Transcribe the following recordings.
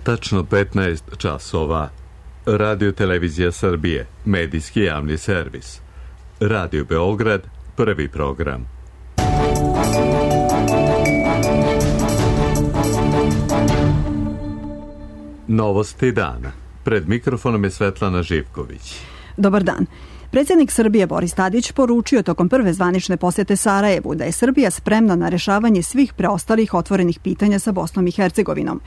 Tačno 15 časova. Radio Televizija Srbije, medijski javni servis. Radio Beograd, prvi program. Novosti dana. Pred mikrofonom je Svetlana Živković. Dobar dan. Predsjednik Srbije Boris Tadić poručio tokom prve zvanične posjete Sarajevu da je Srbija spremna na rješavanje svih preostalih otvorenih pitanja sa Bosnom i Hercegovinom.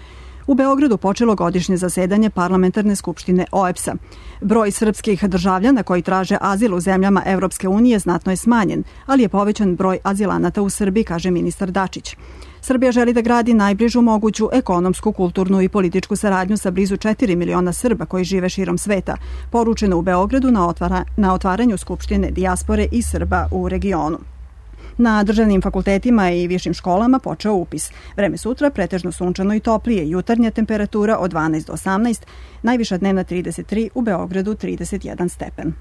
U Beogradu počelo godišnje zasedanje Parlamentarne skupštine OEBS-a. Broj srpskih državljana koji traže azil u zemljama Evropske unije znatno je smanjen, ali je povećan broj azilanata u Srbiji, kaže ministar Dačić. Srbija želi da gradi najbližu moguću ekonomsku, kulturnu i političku saradnju sa blizu 4 miliona Srba koji žive širom sveta, poručeno u Beogradu na otvaranju Skupštine dijaspore i Srba u regionu. Na državnim fakultetima i višim školama počeo upis. Vreme sutra pretežno sunčano i toplije, jutarnja temperatura od 12 do 18, najviša dnevna 33, u Beogradu 31 stepen.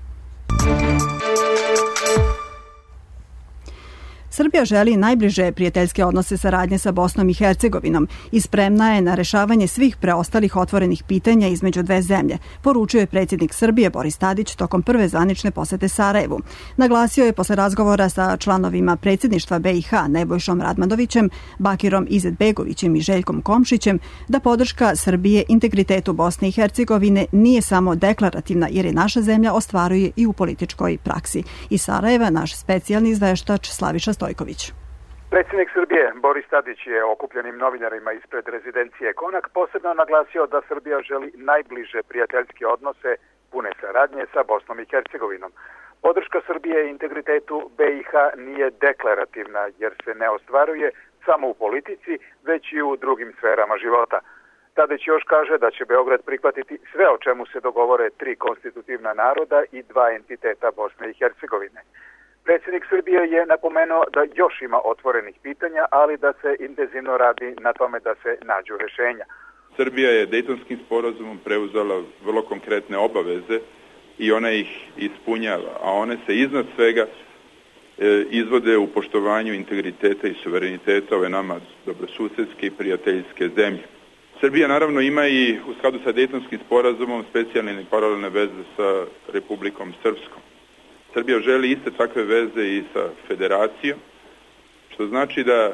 Srbija želi najbliže prijateljske odnose saradnje sa Bosnom i Hercegovinom i spremna je na rješavanje svih preostalih otvorenih pitanja između dve zemlje, poručio je predsjednik Srbije Boris Tadić tokom prve zvanične posete Sarajevu. Naglasio je posle razgovora sa članovima predsjedništva BiH Nebojšom Radmadovićem, Bakirom Izetbegovićem i Željkom Komšićem da podrška Srbije integritetu Bosne i Hercegovine nije samo deklarativna jer je naša zemlja ostvaruje i u političkoj praksi. Iz Sarajeva naš specijalni izveštač Slaviša Stojković. Predsjednik Srbije Boris Tadić je okupljenim novinarima ispred rezidencije Konak posebno naglasio da Srbija želi najbliže prijateljske odnose pune saradnje sa Bosnom i Hercegovinom. Podrška Srbije integritetu BiH nije deklarativna jer se ne ostvaruje samo u politici, već i u drugim sferama života. Tadić još kaže da će Beograd prihvatiti sve o čemu se dogovore tri konstitutivna naroda i dva entiteta Bosne i Hercegovine. Predsjednik Srbije je napomenuo da još ima otvorenih pitanja, ali da se intenzivno radi na tome da se nađu rješenja. Srbija je Dejtonskim sporazumom preuzela vrlo konkretne obaveze i ona ih ispunjava, a one se iznad svega izvode u poštovanju integriteta i suvereniteta ove nama dobrosusedske i prijateljske zemlje. Srbija naravno ima i u skladu sa Dejtonskim sporazumom specijalne i paralelne veze sa Republikom Srpskom. Srbija želi iste takve veze i sa federacijom, što znači da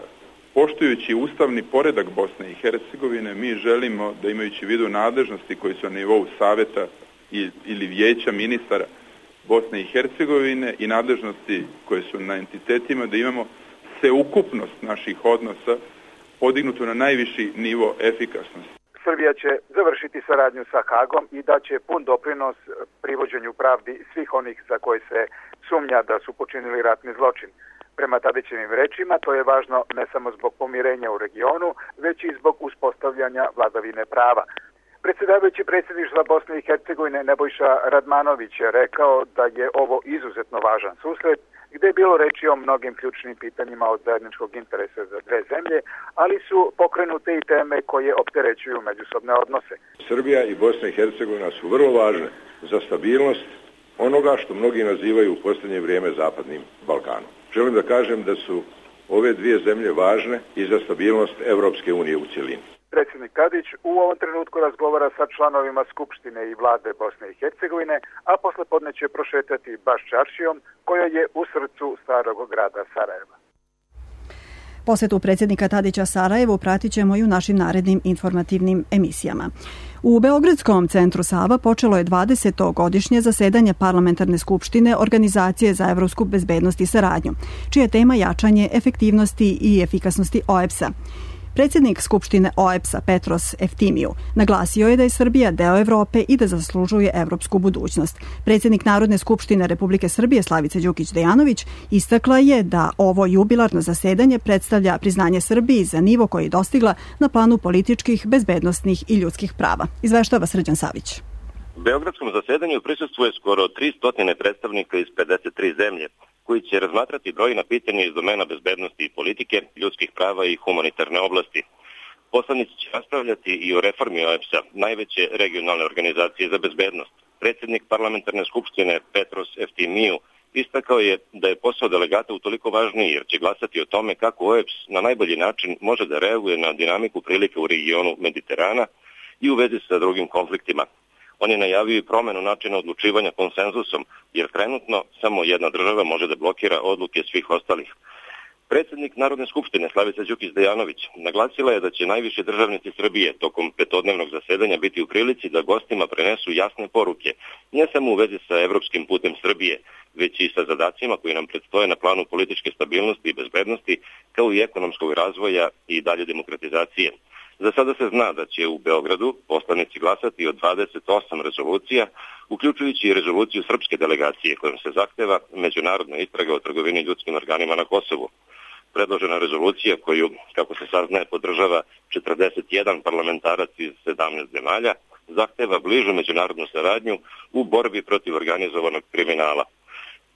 poštujući ustavni poredak Bosne i Hercegovine, mi želimo da imajući u vidu nadležnosti koji su na nivou saveta ili vijeća ministara Bosne i Hercegovine i nadležnosti koje su na entitetima, da imamo sveukupnost naših odnosa podignutu na najviši nivo efikasnosti. Srbija će završiti saradnju sa Hagom i da će pun doprinos privođenju pravdi svih onih za koje se sumnja da su počinili ratni zločin. Prema Tadićevim rečima, to je važno ne samo zbog pomirenja u regionu, već i zbog uspostavljanja vladavine prava. Predsjedavajući predsjedništva Bosne i Hercegovine Nebojša Radmanović je rekao da je ovo izuzetno važan susret, gdje je bilo reči o mnogim ključnim pitanjima od zajedničkog interesa za dve zemlje, ali su pokrenute i teme koje opterećuju međusobne odnose. Srbija i Bosna i Hercegovina su vrlo važne za stabilnost onoga što mnogi nazivaju u posljednje vrijeme Zapadnim Balkanom. Želim da kažem da su ove dvije zemlje važne i za stabilnost Evropske unije u cjelini. Predsjednik Tadić u ovom trenutku razgovara sa članovima Skupštine i vlade Bosne i Hercegovine, a poslepodne će prošetati baš čaršijom koja je u srcu starog grada Sarajeva. Posjetu predsjednika Tadića Sarajevu pratit ćemo i u našim narednim informativnim emisijama. U Beogradskom centru Sava počelo je 20. godišnje zasedanje Parlamentarne skupštine Organizacije za evropsku bezbednost i saradnju, čija je tema jačanje efektivnosti i efikasnosti OEBS-a. Predsjednik Skupštine OEBS-a Petros Eftimiju naglasio je da je Srbija deo Evrope i da zaslužuje evropsku budućnost. Predsjednik Narodne skupštine Republike Srbije Slavica Đukić Dejanović istakla je da ovo jubilarno zasedanje predstavlja priznanje Srbiji za nivo koji je dostigla na planu političkih, bezbednosnih i ljudskih prava. Izveštava Srđan Savić. U Beogradskom zasedanju prisustvuje skoro 300 predstavnika iz 53 zemlje, koji će razmatrati brojna pitanja iz domena bezbednosti i politike, ljudskih prava i humanitarne oblasti. Poslanici će raspravljati i o reformi OEBS-a, najveće regionalne organizacije za bezbednost. Predsjednik Parlamentarne skupštine Petros Eftimiju istakao je da je posao delegata utoliko važniji jer će glasati o tome kako OEBS na najbolji način može da reaguje na dinamiku prilike u regionu Mediterana i u vezi sa drugim konfliktima. On je najavio i promenu načina odlučivanja konsenzusom, jer trenutno samo jedna država može da blokira odluke svih ostalih. Predsjednik Narodne skupštine Slavica Đukić Dejanović naglasila je da će najviši državnici Srbije tokom petodnevnog zasedanja biti u prilici da gostima prenesu jasne poruke, ne samo u vezi sa evropskim putem Srbije, već i sa zadacima koji nam predstoje na planu političke stabilnosti i bezbednosti, kao i ekonomskog razvoja i dalje demokratizacije. Za sada se zna da će u Beogradu poslanici glasati o 28 rezolucija, uključujući i rezoluciju srpske delegacije kojom se zahteva međunarodna istraga o trgovini ljudskim organima na Kosovu. Predložena rezolucija koju, kako se saznaje, podržava 41 parlamentarac iz 17 zemalja, zahteva bližu međunarodnu saradnju u borbi protiv organizovanog kriminala.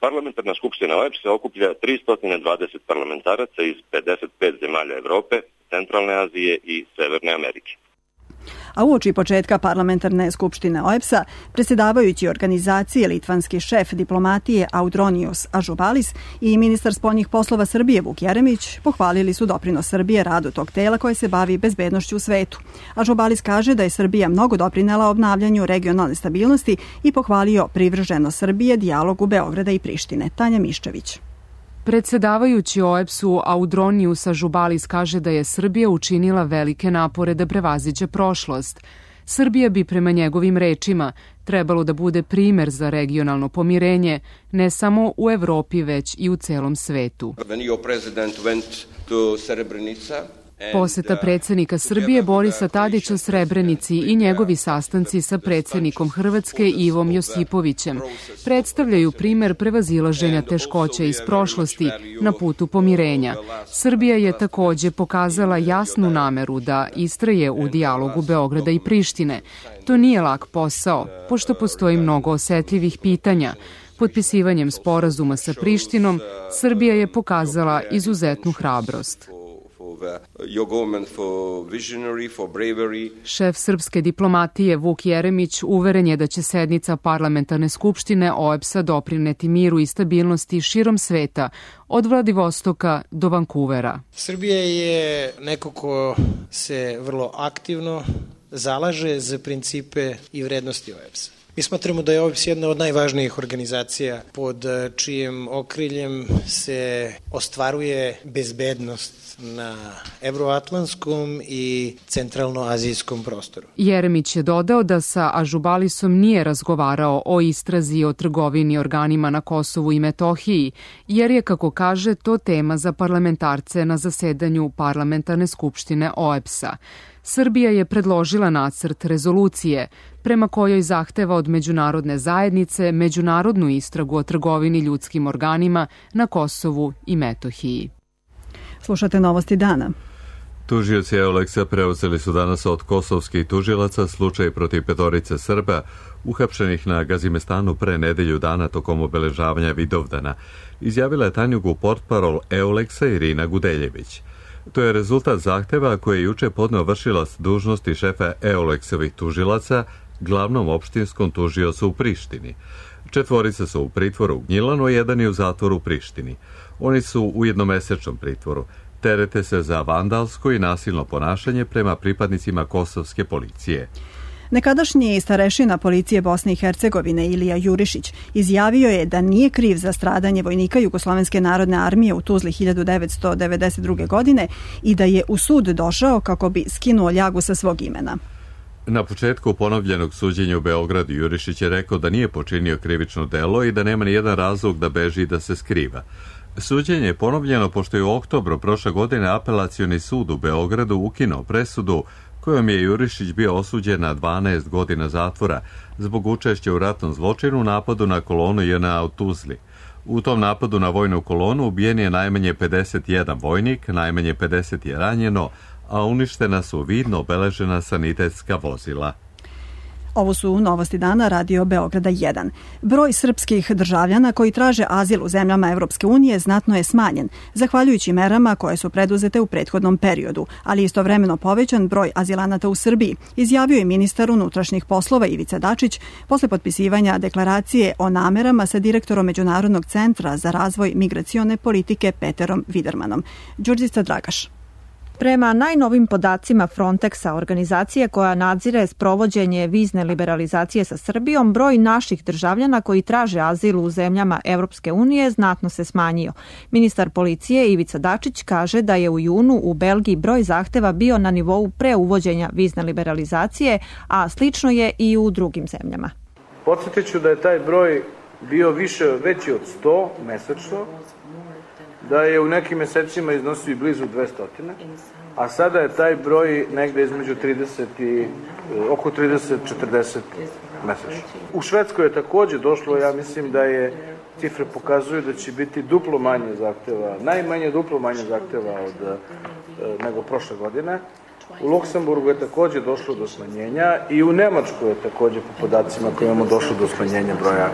Parlamentarna skupština OEBS-a okuplja 320 parlamentaraca iz 55 zemalja Evrope, Centralne Azije i Severne Amerike. A uoči početka parlamentarne skupštine OEBS-a, predsjedavajući organizacije litvanski šef diplomatije Audronijus Ažubalis i ministar spoljnih poslova Srbije Vuk Jeremić pohvalili su doprinos Srbije radu tog tela koje se bavi bezbednošću u svetu. Ažubalis kaže da je Srbija mnogo doprinela obnavljanju regionalne stabilnosti i pohvalio privrženost Srbije dijalogu Beograda i Prištine. Tanja Miščević. Predsjedavajući OEBS-u Audronijus Ažubalis kaže da je Srbija učinila velike napore da prevaziđe prošlost. Srbija bi prema njegovim rečima trebalo da bude primer za regionalno pomirenje, ne samo u Evropi već i u celom svetu. Poseta predsjednika Srbije Borisa Tadića Srebrenici i njegovi sastanci sa predsjednikom Hrvatske Ivom Josipovićem predstavljaju primer prevazilaženja teškoća iz prošlosti na putu pomirenja. Srbija je također pokazala jasnu nameru da istraje u dijalogu Beograda i Prištine. To nije lak posao, pošto postoji mnogo osetljivih pitanja. Potpisivanjem sporazuma sa Prištinom, Srbija je pokazala izuzetnu hrabrost. Šef srpske diplomatije Vuk Jeremić uveren je da će sednica parlamentarne skupštine OEBS-a doprineti miru i stabilnosti širom sveta, od Vladivostoka do Vankuvera. Srbija je neko ko se vrlo aktivno zalaže za principe i vrednosti OEBS-a. Mi smatramo da je OEBS jedna od najvažnijih organizacija pod čijem okriljem se ostvaruje bezbednost na evroatlantskom i centralnoazijskom prostoru. Jeremić je dodao da sa Ažubalisom nije razgovarao o istrazi o trgovini organima na Kosovu i Metohiji, jer je, kako kaže, to tema za parlamentarce na zasedanju parlamentarne skupštine OEBS-a. Srbija je predložila nacrt rezolucije prema kojoj zahteva od međunarodne zajednice međunarodnu istragu o trgovini ljudskim organima na Kosovu i Metohiji. Slušate novosti dana. Tužioci EULEX-a preuzeli su danas od kosovskih tužilaca slučaj protiv 5 Srba uhapšenih na Gazimestanu pre nedelju dana tokom obeležavanja Vidovdana, izjavila je tajniku portparol EULEX-a Irina Gudeljević. To je rezultat zahteva koje je juče podneo vršilac dužnosti šefa EULEX-ovih tužilaca glavnom opštinskom tužiocu u Prištini. 4 su u pritvoru u Gnjilanu, 1 je u zatvoru u Prištini. Oni su u jednomesečnom pritvoru. Terete se za vandalsko i nasilno ponašanje prema pripadnicima kosovske policije. Nekadašnji starešina policije Bosne i Hercegovine Ilija Jurišić izjavio je da nije kriv za stradanje vojnika Jugoslovenske narodne armije u Tuzli 1992. godine i da je u sud došao kako bi skinuo ljagu sa svog imena. Na početku ponovljenog suđenja u Beogradu Jurišić je rekao da nije počinio krivično delo i da nema ni jedan razlog da beži i da se skriva. Suđenje je ponovljeno pošto je u oktobru prošle godine apelacioni sud u Beogradu ukinuo presudu kojom je Jurišić bio osuđen na 12 godina zatvora zbog učešća u ratnom zločinu u napadu na kolonu JNA u Tuzli. U tom napadu na vojnu kolonu ubijen je najmanje 51 vojnik, najmanje 50 je ranjeno, a uništena su vidno obeležena sanitetska vozila. Ovo su novosti dana Radio Beograda 1. Broj srpskih državljana koji traže azil u zemljama Evropske unije znatno je smanjen, zahvaljujući merama koje su preduzete u prethodnom periodu, ali istovremeno povećan broj azilanata u Srbiji, izjavio je ministar unutrašnjih poslova Ivica Dačić posle potpisivanja deklaracije o namerama sa direktorom Međunarodnog centra za razvoj migracione politike Peterom Vidermanom. Đurđica Dragaš. Prema najnovim podacima Frontexa, organizacije koja nadzire sprovođenje vizne liberalizacije sa Srbijom, broj naših državljana koji traže azil u zemljama Evropske unije znatno se smanjio. Ministar policije Ivica Dačić kaže da je u junu u Belgiji broj zahteva bio na nivou pre uvođenja vizne liberalizacije, a slično je i u drugim zemljama. Podsjetit ću da je taj broj bio veći od 100 mesečno, da je u nekim mesecima iznosio i blizu 200, a sada je taj broj negde između 30 i oko 30-40 mesečno. U Švedskoj je takođe došlo, ja mislim da je cifre pokazuju da će biti duplo manje zahteva, najmanje duplo manje zahteva nego prošle godine. U Luksemburgu je takođe došlo do smanjenja i u Nemačkoj je takođe po podacima koje imamo došlo do smanjenja broja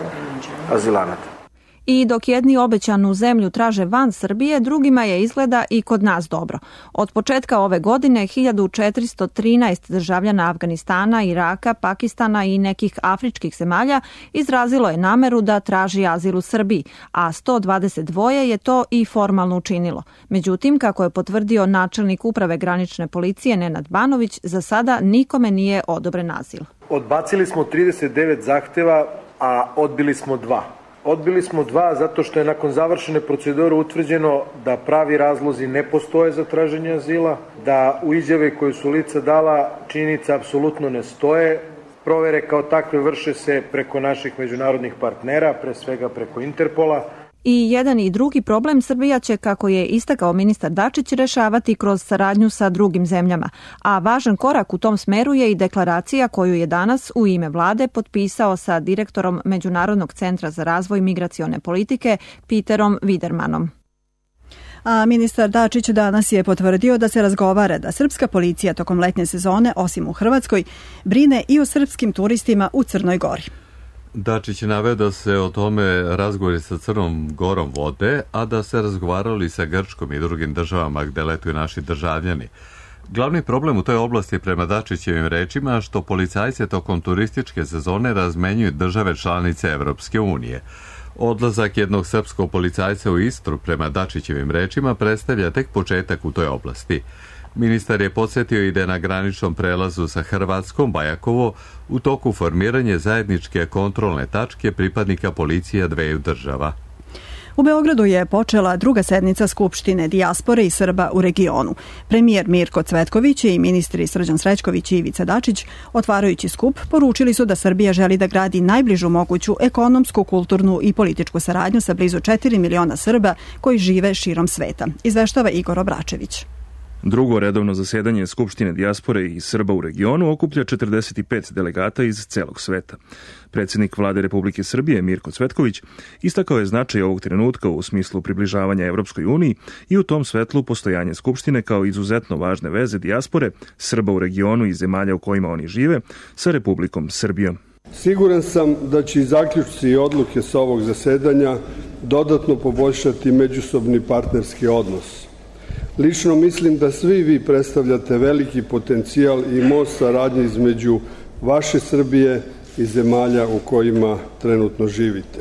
azilanata. I dok jedni obećanu zemlju traže van Srbije, drugima je izgleda i kod nas dobro. Od početka ove godine 1413 državljana Afganistana, Iraka, Pakistana i nekih afričkih zemalja izrazilo je nameru da traži azil u Srbiji, a 122 je to i formalno učinilo. Međutim, kako je potvrdio načelnik uprave granične policije Nenad Banović, za sada nikome nije odobren azil. Odbacili smo 39 zahteva, a odbili smo 2. Odbili smo 2 zato što je nakon završene procedure utvrđeno da pravi razlozi ne postoje za traženje azila, da u izjave koje su lica dala činjenica apsolutno ne stoje. Provere kao takve vrše se preko naših međunarodnih partnera, pre svega preko Interpola. I jedan i drugi problem Srbija će, kako je istakao ministar Dačić, rešavati kroz saradnju sa drugim zemljama. A važan korak u tom smeru je i deklaracija koju je danas u ime vlade potpisao sa direktorom Međunarodnog centra za razvoj migracione politike Peterom Widermanom. A ministar Dačić danas je potvrdio da se razgovara da srpska policija tokom letnje sezone, osim u Hrvatskoj, brine i o srpskim turistima u Crnoj Gori. Dačić je naveo da se o tome razgovori sa Crnom Gorom vode, a da se razgovarali sa Grčkom i drugim državama gde letuju naši državljani. Glavni problem u toj oblasti prema Dačićevim rečima što policajce tokom turističke sezone razmenjuju države članice Evropske unije. Odlazak jednog srpskog policajca u Istru prema Dačićevim rečima predstavlja tek početak u toj oblasti. Ministar je podsjetio i da je na graničnom prelazu sa Hrvatskom Bajakovo u toku formiranje zajedničke kontrolne tačke pripadnika policije dveju država. U Beogradu je počela druga sednica Skupštine dijaspore i Srba u regionu. Premijer Mirko Cvetković i ministri Srđan Srećković i Ivica Dačić, otvarajući skup, poručili su da Srbija želi da gradi najbližu moguću ekonomsku, kulturnu i političku saradnju sa blizu 4 miliona Srba koji žive širom sveta. Izveštava Igor Obračević. Drugo redovno zasedanje Skupštine dijaspore i Srba u regionu okuplja 45 delegata iz celog sveta. Predsjednik Vlade Republike Srbije Mirko Cvetković istakao je značaj ovog trenutka u smislu približavanja Evropskoj uniji i u tom svetlu postojanje Skupštine kao izuzetno važne veze dijaspore, Srba u regionu i zemalja u kojima oni žive, sa Republikom Srbijom. Siguran sam da će i zaključci i odluke sa ovog zasedanja dodatno poboljšati međusobni partnerski odnos. Lično mislim da svi vi predstavljate veliki potencijal i most saradnje između vaše Srbije i zemalja u kojima trenutno živite.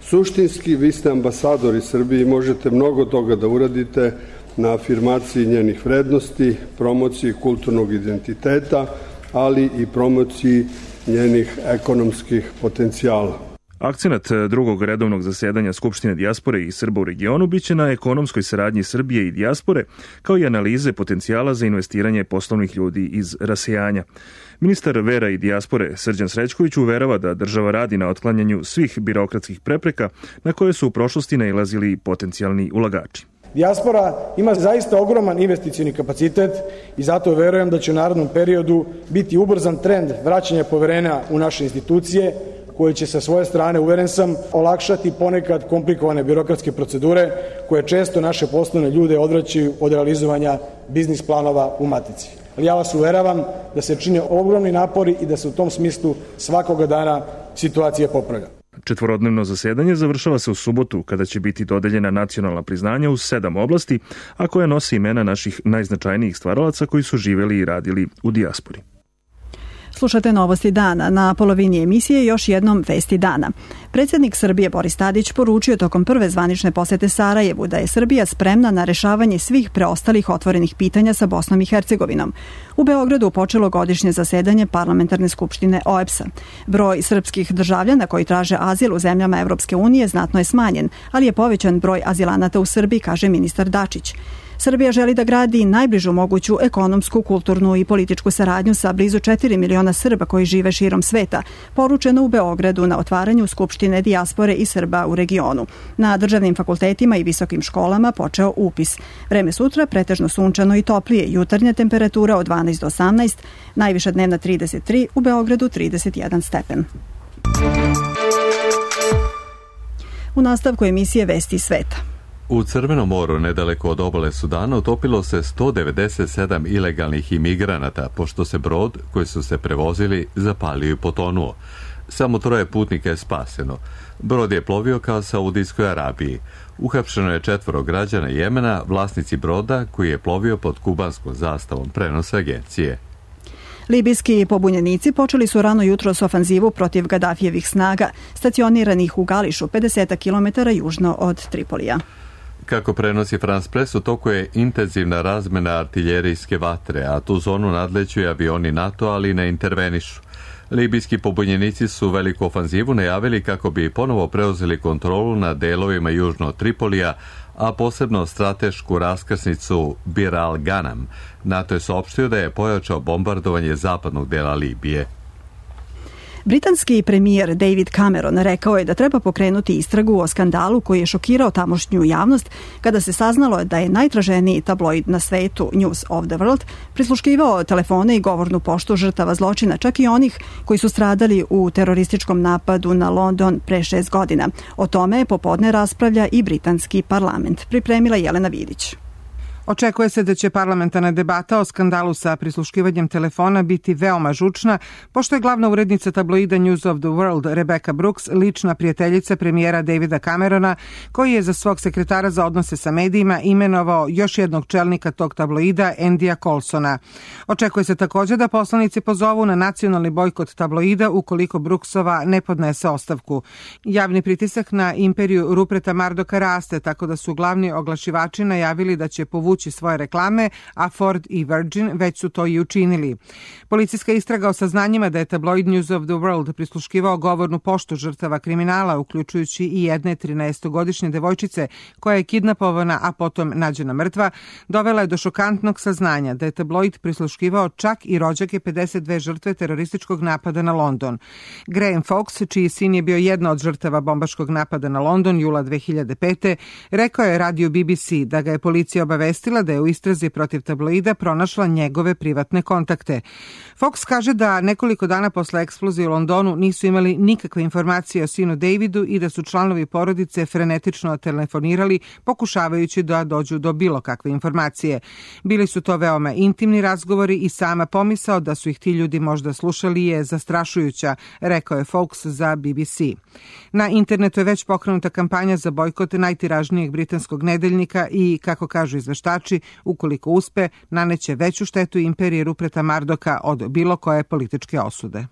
Suštinski, vi ste ambasadori Srbije i možete mnogo toga da uradite na afirmaciji njenih vrednosti, promociji kulturnog identiteta, ali i promociji njenih ekonomskih potencijala. Akcenat drugog redovnog zasedanja Skupštine dijaspore i Srba u regionu biće na ekonomskoj saradnji Srbije i dijaspore, kao i analize potencijala za investiranje poslovnih ljudi iz rasejanja. Ministar vera i dijaspore Srđan Srećković uverava da država radi na otklanjanju svih birokratskih prepreka na koje su u prošlosti nailazili potencijalni ulagači. Dijaspora ima zaista ogroman investicioni kapacitet i zato verujem da će u narednom periodu biti ubrzan trend vraćanja poverenja u naše institucije, koje će sa svoje strane, uveren sam, olakšati ponekad komplikovane birokratske procedure koje često naše poslovne ljude odvraćaju od realizovanja biznis planova u matici. Ali ja vas uveravam da se čine ogromni napori i da se u tom smislu svakoga dana situacija popravlja. Četvorodnevno zasedanje završava se u subotu kada će biti dodeljena nacionalna priznanja u 7 oblasti, a koja nosi imena naših najznačajnijih stvaralaca koji su živeli i radili u dijaspori. Slušate novosti dana. Na polovini emisije još jednom vesti dana. Predsjednik Srbije Boris Tadić poručio tokom prve zvanične posete Sarajevu da je Srbija spremna na rešavanje svih preostalih otvorenih pitanja sa Bosnom i Hercegovinom. U Beogradu počelo godišnje zasedanje Parlamentarne skupštine OEBS-a. Broj srpskih državljana koji traže azil u zemljama Evropske unije znatno je smanjen, ali je povećan broj azilanata u Srbiji, kaže ministar Dačić. Srbija želi da gradi najbližu moguću ekonomsku, kulturnu i političku saradnju sa blizu 4 miliona Srba koji žive širom sveta, poručeno u Beogradu na otvaranju Skupštine dijaspore i Srba u regionu. Na državnim fakultetima i visokim školama počeo upis. Vreme sutra pretežno sunčano i toplije, jutarnja temperatura od 12 do 18, najviša dnevna 33, u Beogradu 31 stepen. U nastavku emisije Vesti sveta. U Crvenom moru, nedaleko od obale Sudana, utopilo se 197 ilegalnih imigranata, pošto se brod koji su se prevozili zapalio i potonuo. Samo 3 putnika je spaseno. Brod je plovio ka Saudijskoj Arabiji. Uhapšeno je 4 građana Jemena, vlasnici broda koji je plovio pod kubanskom zastavom, prenose agencije. Libijski pobunjenici počeli su rano jutro s ofanzivu protiv Gadafijevih snaga, stacioniranih u Gališu, 50 km južno od Tripolija. Kako prenosi France Press, u toku je intenzivna razmena artiljerijske vatre, a tu zonu nadleću i avioni NATO, ali ne intervenišu. Libijski pobunjenici su veliku ofanzivu najavili kako bi ponovo preuzeli kontrolu nad delovima južno od Tripolija, a posebno stratešku raskrsnicu Bir al-Ganam. NATO je saopštio da je pojačao bombardovanje zapadnog dela Libije. Britanski premijer David Cameron rekao je da treba pokrenuti istragu o skandalu koji je šokirao tamošnju javnost kada se saznalo da je najtraženiji tabloid na svetu News of the World prisluškivao telefone i govornu poštu žrtava zločina, čak i onih koji su stradali u terorističkom napadu na London pre 6 godina. O tome popodne raspravlja i britanski parlament. Pripremila Jelena Vidić. Očekuje se da će parlamentarna debata o skandalu sa prisluškivanjem telefona biti veoma žučna, pošto je glavna urednica tabloida News of the World Rebecca Brooks lična prijateljica premijera Davida Camerona, koji je za svog sekretara za odnose sa medijima imenovao još jednog čelnika tog tabloida, Andyja Colsona. Očekuje se također da poslanici pozovu na nacionalni bojkot tabloida ukoliko Brooksova ne podnese ostavku. Javni pritisak na imperiju Ruperta Murdocha raste, tako da su glavni oglašivači najavili da će povući svoje reklame, a Ford i Virgin već su to i učinili. Policijska istraga o saznanjima da je tabloid News of the World prisluškivao govornu poštu žrtava kriminala, uključujući i jedne 13-godišnje devojčice koja je kidnapovana, a potom nađena mrtva, dovela je do šokantnog saznanja da je tabloid prisluškivao čak i rođake 52 žrtve terorističkog napada na London. Graham Fox, čiji sin je bio jedna od žrtava bombaškog napada na London jula 2005. rekao je radiju BBC da ga je policija obavestila da je u istrazi protiv tabloida pronašla njegove privatne kontakte. Fox kaže da nekoliko dana posle eksplozije u Londonu nisu imali nikakve informacije o sinu Davidu i da su članovi porodice frenetično telefonirali pokušavajući da dođu do bilo kakve informacije. Bili su to veoma intimni razgovori i sama pomisao da su ih ti ljudi možda slušali je zastrašujuća, rekao je Fox za BBC. Na internetu je već pokrenuta kampanja za bojkot najtiražnijeg britanskog nedeljnika i, kako kažu izveštači, ukoliko uspe, naneće veću štetu imperije Ruperta Murdocha od bilo koje političke osude.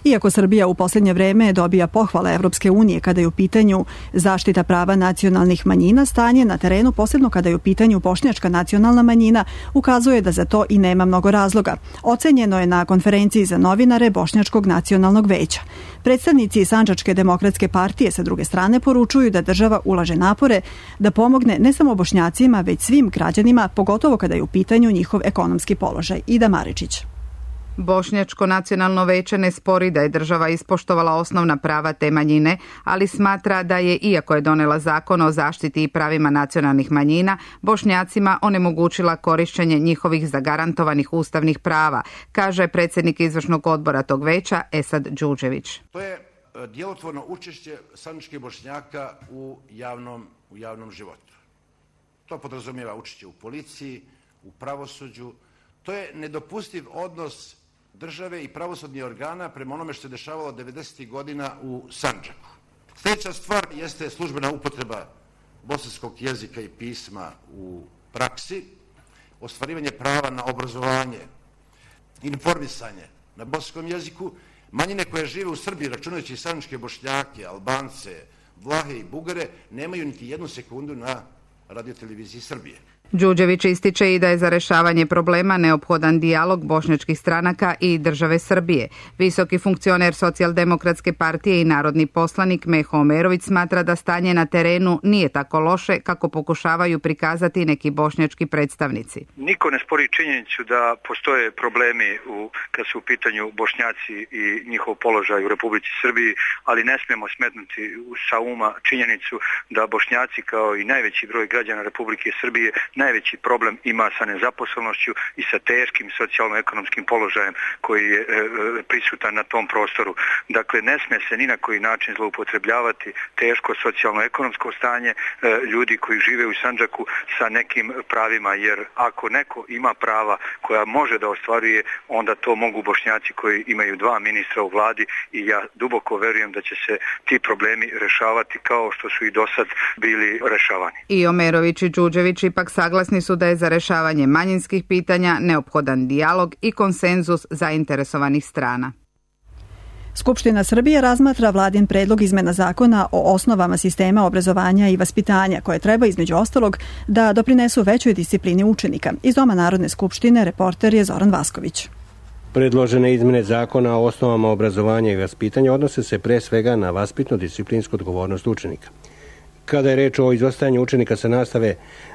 Iako Srbija u posljednje vreme dobija pohvale Evropske unije kada je u pitanju zaštita prava nacionalnih manjina, stanje na terenu, posebno kada je u pitanju bošnjačka nacionalna manjina, ukazuje da za to i nema mnogo razloga. Ocenjeno je na konferenciji za novinare Bošnjačkog nacionalnog veća. Predstavnici Sandžačke demokratske partije sa druge strane poručuju da država ulaže napore da pomogne ne samo Bošnjacima, već svim građanima, pogotovo kada je u pitanju njihov ekonomski položaj. Ida Maričić. Bošnjačko nacionalno veće ne spori da je država ispoštovala osnovna prava te manjine, ali smatra da je, iako je donela zakon o zaštiti i pravima nacionalnih manjina, Bošnjacima onemogućila korišćenje njihovih zagarantovanih ustavnih prava, kaže predsjednik izvršnog odbora tog veća Esad Đuđević. To je djelotvorno učešće sandžačkih Bošnjaka u javnom životu. To podrazumijeva učešće u policiji, u pravosuđu. To je nedopustiv odnos države i pravosudnih organa prema onome što se dešavalo 90. godina u Sandžaku. Sljedeća stvar jeste službena upotreba bosanskog jezika i pisma u praksi. ostvarivanje prava na obrazovanje, informisanje na bosanskom jeziku, manjine koje žive u Srbiji, računajući sandžačke Bošnjake, Albance, Vlahe i Bugare, nemaju niti jednu sekundu na radioteleviziji Srbije. Đurđević ističe i da je za rešavanje problema neophodan dijalog bošnjačkih stranaka i države Srbije. Visoki funkcioner Socijaldemokratske partije i narodni poslanik Meho Omerović smatra da stanje na terenu nije tako loše kako pokušavaju prikazati neki bošnjački predstavnici. Niko ne spori činjenicu da postoje problemi kad su u pitanju Bošnjaci i njihov položaj u Republici Srbiji, ali ne smemo smetnuti sa uma činjenicu da Bošnjaci kao i najveći broj građana Republike Srbije najveći problem ima sa nezaposlenošću i sa teškim socijalno-ekonomskim položajem koji je prisutan na tom prostoru. Dakle, ne sme se ni na koji način zloupotrebljavati teško socijalno-ekonomsko stanje ljudi koji žive u Sandžaku sa nekim pravima, jer ako neko ima prava koja može da ostvaruje, onda to mogu Bošnjaci koji imaju 2 ministra u vladi i ja duboko verujem da će se ti problemi rešavati kao što su i do sad bili rešavani. I Omerović i Đurđević ipak saglasni su da je za rešavanje manjinskih pitanja neophodan dijalog i konsenzus zainteresovanih strana. Skupština Srbije razmatra vladin predlog izmena zakona o osnovama sistema obrazovanja i vaspitanja, koje treba između ostalog da doprinesu većoj disciplini učenika. Iz Doma Narodne skupštine reporter je Zoran Vasković. Predložene izmene zakona o osnovama obrazovanja i vaspitanja odnose se pre svega na vaspitno-disciplinsku odgovornost učenika. Kada je reč o izostajanju učenika sa nastave,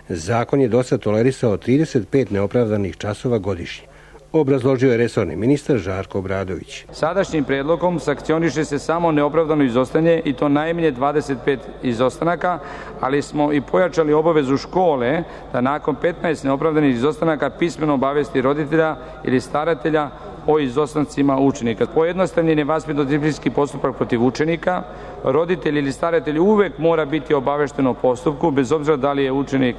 zakon je dosad tolerisao 35 neopravdanih časova godišnje. Obrazložio je resorni ministar Žarko Obradović. Sadašnjim predlogom sankcioniše se samo neopravdano izostajanje i to najmanje 25 izostanaka, ali smo i pojačali obavezu škole da nakon 15 neopravdanih izostanaka pismeno obavesti roditelja ili staratelja o izostancima učenika. Pojednostavljen je vaspitno-disciplinski postupak protiv učenika. Roditelj ili staratelj uvek mora biti obavešten o postupku, bez obzira da li je učenik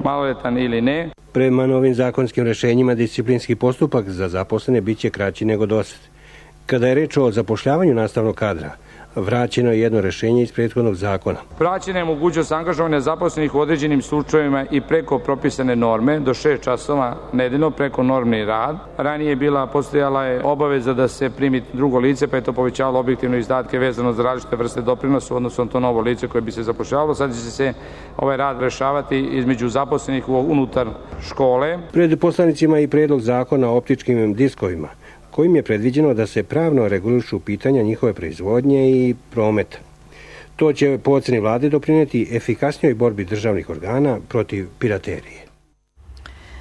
maloletan ili ne. Prema novim zakonskim rešenjima, disciplinski postupak za zaposlene biće kraći nego dosad. Kada je reč o zapošljavanju nastavnog kadra, vraćeno je jedno rešenje iz prethodnog zakona. Vraćena je mogućnost angažovanja zaposlenih u određenim slučajevima i preko propisane norme do 6 časova nedeljno preko normni rad. Ranije postojala je obaveza da se primi drugo lice, pa je to povećavalo objektivno izdatke vezano za različite vrste doprinosa, odnosno to novo lice koje bi se zapošljavalo. Sad će se ovaj rad rešavati između zaposlenih unutar škole. Pred poslanicima i predlog zakona o optičkim diskovima, kojim je predviđeno da se pravno regulišu pitanja njihove proizvodnje i prometa. To će po oceni vlade doprineti efikasnijoj borbi državnih organa protiv piraterije.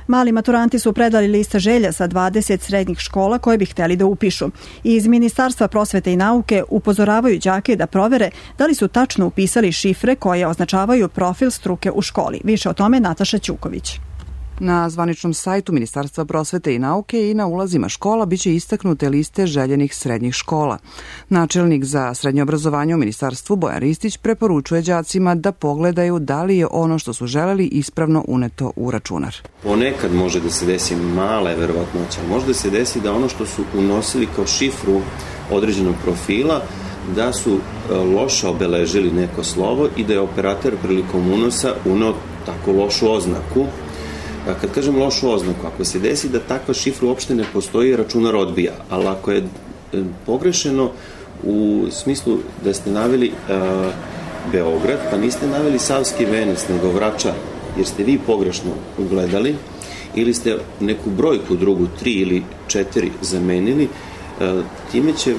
Mali maturanti su predali liste želja sa 20 srednjih škola koje bi hteli da upišu. Iz Ministarstva prosvete i nauke upozoravaju đake da provere da li su tačno upisali šifre koje označavaju profil struke u školi. Više o tome Nataša Ćuković. Na zvaničnom sajtu Ministarstva prosvete i nauke i na ulazima škola biće istaknute liste željenih srednjih škola. Načelnik za srednje obrazovanje u Ministarstvu Bojan Ristić preporučuje đacima da pogledaju da li je ono što su želeli ispravno uneto u računar. Ponekad može da se desi mala je verovatnoća, može da se desi da ono što su unosili kao šifru određenog profila, da su loše obeležili neko slovo i da je operator prilikom unosa uneo tako lošu oznaku. Kad kažem lošu oznaku, ako se desi da takva šifra uopšte ne postoji, računar odbija, ali ako je pogrešeno u smislu da ste naveli Beograd, pa niste naveli Savski Venac, nego Vračar, jer ste vi pogrešno ugledali, ili ste neku brojku drugu, 3 ili 4 zamenili, time će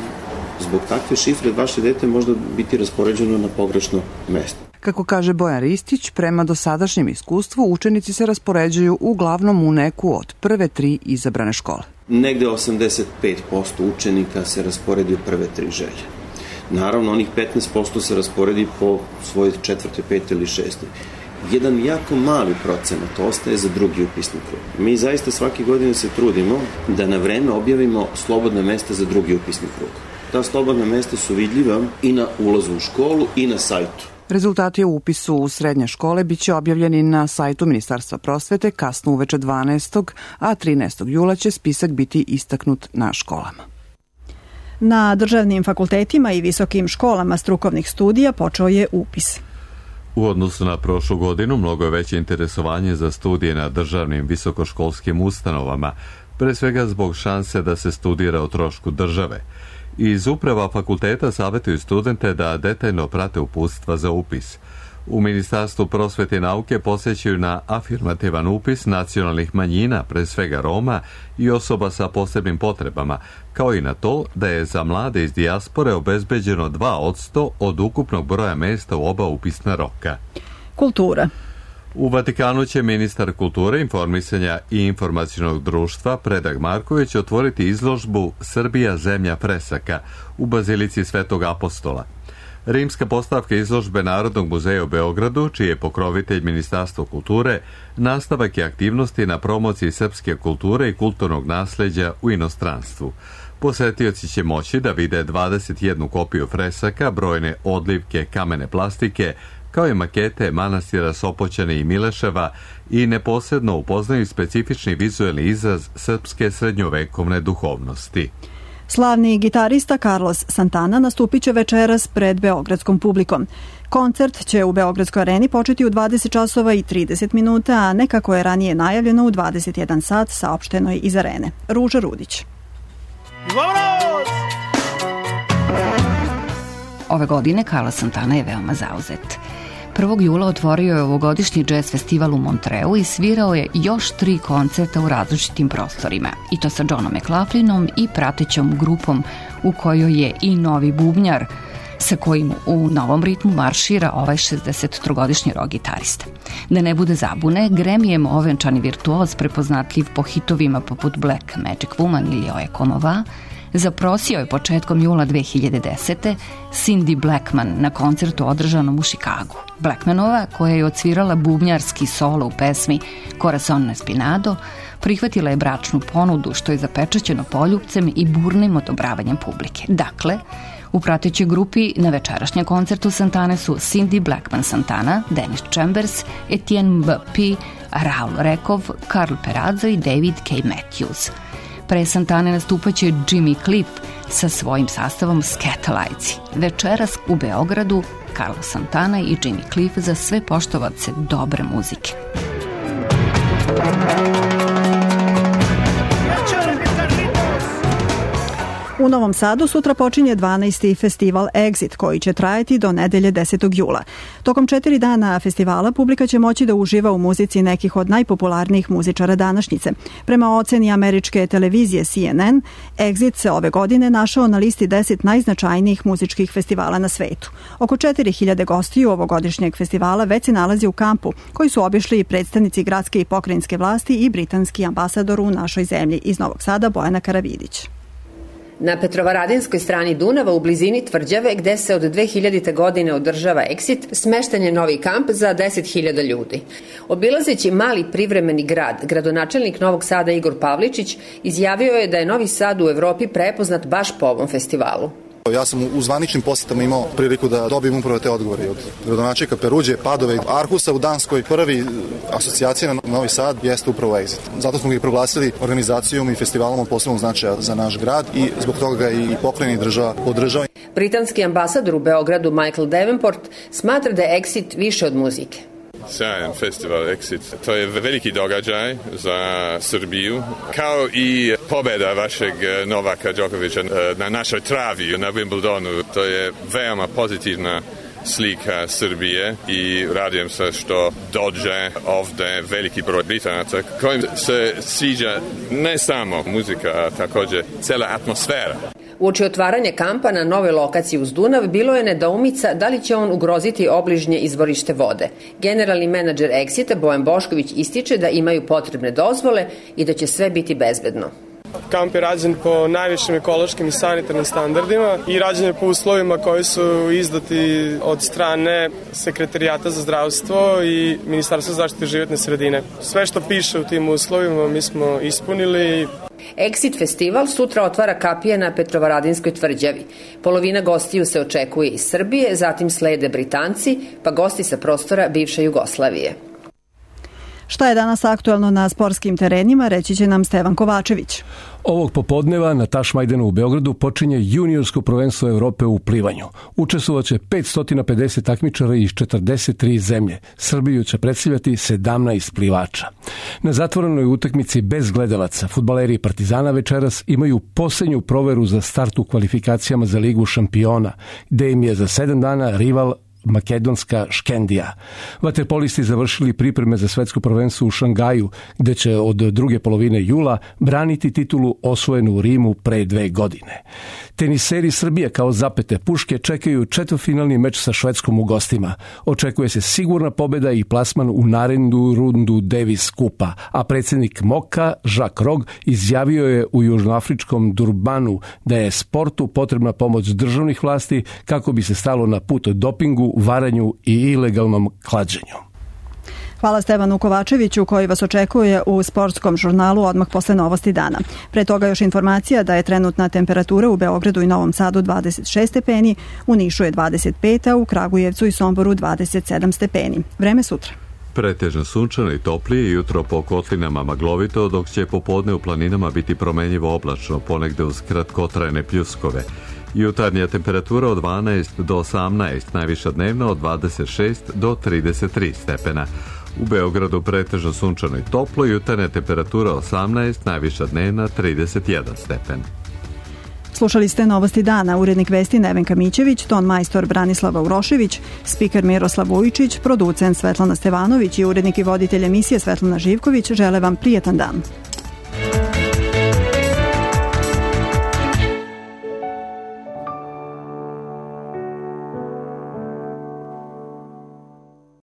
zbog takve šifre vaše dete možda biti raspoređeno na pogrešno mesto. Kako kaže Bojan Ristić, prema dosadašnjem iskustvu učenici se raspoređuju uglavnom u neku od prve 3 izabrane škole. Negde 85% učenika se rasporedi u prve 3 želje. Naravno, onih 15% se rasporedi po svojoj 4., 5. ili 6. Jedan jako mali procenat ostaje za drugi upisni krug. Mi zaista svake godine se trudimo da na vreme objavimo slobodna mesta za drugi upisni krug. Ta slobodna mesta su vidljiva i na ulazu u školu i na sajtu. Rezultati o upisu u srednje škole biće objavljeni na sajtu Ministarstva prosvete kasno uveče 12. a 13. jula će spisak biti istaknut na školama. Na državnim fakultetima i visokim školama strukovnih studija počeo je upis. U odnosu na prošlu godinu mnogo je veće interesovanje za studije na državnim visokoškolskim ustanovama, pre svega zbog šanse da se studira o trošku države. Iz uprava fakulteta savjetuju studente da detaljno prate uputstva za upis. U Ministarstvu prosvete i nauke posjećuju na afirmativan upis nacionalnih manjina, pre svega Roma i osoba sa posebnim potrebama, kao i na to da je za mlade iz dijaspore obezbeđeno 2% od ukupnog broja mesta u oba upisna roka. Kultura. U Vatikanu će ministar kulture, informisanja i informacionog društva Predrag Marković otvoriti izložbu Srbija zemlja fresaka u Bazilici Svetog Apostola. Rimska postavka izložbe Narodnog muzeja u Beogradu, čiji je pokrovitelj Ministarstvo kulture, nastavak je aktivnosti na promociji srpske kulture i kulturnog nasleđa u inostranstvu. Posetioci će moći da vide 21 kopiju fresaka, brojne odlivke kamene plastike, kao i makete manastira Sopoćane i Mileševa i neposredno upoznaju specifični vizuelni izraz srpske srednjovekovne duhovnosti. Slavni gitarista Carlos Santana nastupit će večeras pred beogradskom publikom. Koncert će u Beogradskoj areni početi u 20 časova i 30 minuta, a ne kako je ranije najavljeno u 21 sat, saopšteno je iz arene. Ruža Rudić. Ove godine Carlos Santana je veoma zauzet. 1. jula otvorio je ovogodišnji jazz festival u Montreu i svirao je još 3 koncerta u različitim prostorima, i to sa Johnom McLaughlinom i pratećom grupom u kojoj je i novi bubnjar, sa kojim u novom ritmu maršira ovaj 63-godišnji rock gitarista. Da ne bude zabune, Gremijem ovenčani virtuoz, prepoznatljiv po hitovima poput Black Magic Woman ili Oe Como Va, zaprosio je početkom jula 2010. Cindy Blackman na koncertu održanom u Chicagu. Blackmanova, koja je odsvirala bubnjarski solo u pesmi Corazon Espinado, prihvatila je bračnu ponudu, što je zapečaćeno poljupcem i burnim odobravanjem publike. Dakle, u pratećoj grupi na večerašnjem koncertu Santane su Cindy Blackman Santana, Dennis Chambers, Etienne B.P., Raul Rekov, Karl Perazzo i David K. Matthews. Pre Santane nastupaće Jimmy Cliff sa svojim sastavom Skatalites. Večeras u Beogradu Carlos Santana i Jimmy Cliff za sve poštovace dobre muzike. U Novom Sadu sutra počinje 12. festival Exit, koji će trajati do nedelje 10. jula. Tokom 4 dana festivala publika će moći da uživa u muzici nekih od najpopularnijih muzičara današnjice. Prema oceni američke televizije CNN, Exit se ove godine našao na listi 10 najznačajnijih muzičkih festivala na svetu. Oko 4000 gostiju ovogodišnjeg festivala već se nalazi u kampu, koji su obišli i predstavnici gradske i pokrajinske vlasti i britanski ambasador u našoj zemlji. Iz Novog Sada Bojana Karavidić. Na Petrovaradinskoj strani Dunava u blizini Tvrđave, gde se od 2000. godine održava Exit, smešten je novi kamp za 10.000 ljudi. Obilazeći mali privremeni grad, gradonačelnik Novog Sada Igor Pavličić izjavio je da je Novi Sad u Evropi prepoznat baš po ovom festivalu. Ja sam u zvaničnim posjetama imao priliku da dobijem upravo te odgovore od gradonačelnika Peruđe, Padove, Arhusa u Danskoj. Prvi asocijacija na Novi Sad jeste upravo Exit. Zato smo ga i proglasili organizacijom i festivalom od posebnog značaja za naš grad i zbog toga ga i pokrajina i država podržava. Britanski ambasador u Beogradu Michael Davenport smatra da je Exit više od muzike. Sjajan festival Exit. To je veliki događaj za Srbiju, kao i pobjeda vašeg Novaka Đokovića na našoj travi na Wimbledonu. To je veoma pozitivna slika Srbije i radujem se što dođe ovde veliki broj Britanaca kojim se sviđa ne samo muzika, a također cela atmosfera. Uoči otvaranja kampa na nove lokaciji uz Dunav bilo je nedoumica da li će on ugroziti obližnje izvorište vode. Generalni menadžer Exita Bojan Bošković ističe da imaju potrebne dozvole i da će sve biti bezbedno. Kamp je rađen po najvišim ekološkim i sanitarnim standardima i rađen je po uslovima koji su izdati od strane Sekretarijata za zdravstvo i Ministarstva zaštite životne sredine. Sve što piše u tim uslovima mi smo ispunili. Exit festival sutra otvara kapija na Petrovaradinskoj tvrđavi. Polovina gostiju se očekuje iz Srbije, zatim slede Britanci, pa gosti sa prostora bivše Jugoslavije. Šta je danas aktuelno na sportskim terenima, reći će nam Stevan Kovačević. Ovog popodneva na Tašmajdanu u Beogradu počinje juniorsko prvenstvo Evrope u plivanju. Učestvovaće 550 takmičara iz 43 zemlje. Srbiju će predstavljati 17 plivača. Na zatvorenoj utakmici bez gledalaca fudbaleri Partizana večeras imaju posljednju proveru za start u kvalifikacijama za Ligu šampiona, gde im je za 7 dana rival makedonska Škendija. Vaterpolisti završili pripreme za svetsko prvenstvo u Šangaju, gde će od druge polovine jula braniti titulu osvojenu u Rimu pre 2 godine. Teniseri Srbije kao zapete puške čekaju četvrtfinalni meč sa Švedskom u gostima. Očekuje se sigurna pobeda i plasman u narednu rundu Davis Kupa, a predsjednik MOKA Jacques Rog izjavio je u južnoafričkom Durbanu da je sportu potrebna pomoć državnih vlasti kako bi se stalo na put dopingu, varanju i ilegalnom klađenju. Hvala Stevanu Kovačeviću koji vas očekuje u sportskom žurnalu odmah posle novosti dana. Pre toga još informacija da je trenutna temperatura u Beogradu i Novom Sadu 26 stepeni, u Nišu je 25, a u Kragujevcu i Somboru 27 stepeni. Vreme sutra. Pretežno sunčano i toplije, jutro po kotlinama maglovito, dok će popodne u planinama biti promenjivo oblačno, ponegde uz kratkotrajne pljuskove. Jutarnja temperatura od 12 do 18, najviša dnevna od 26 do 33 stepena. U Beogradu pretežno sunčano i toplo, jutarnja temperatura 18, najviša dnevna 31 stepen. Slušali ste novosti dana, urednik vesti Nevenka Mićević, ton majstor Branislava Urošević, spiker Miroslav Vujičić, producent Svetlana Stevanović i urednik i voditelj emisije Svetlana Živković žele vam prijetan dan.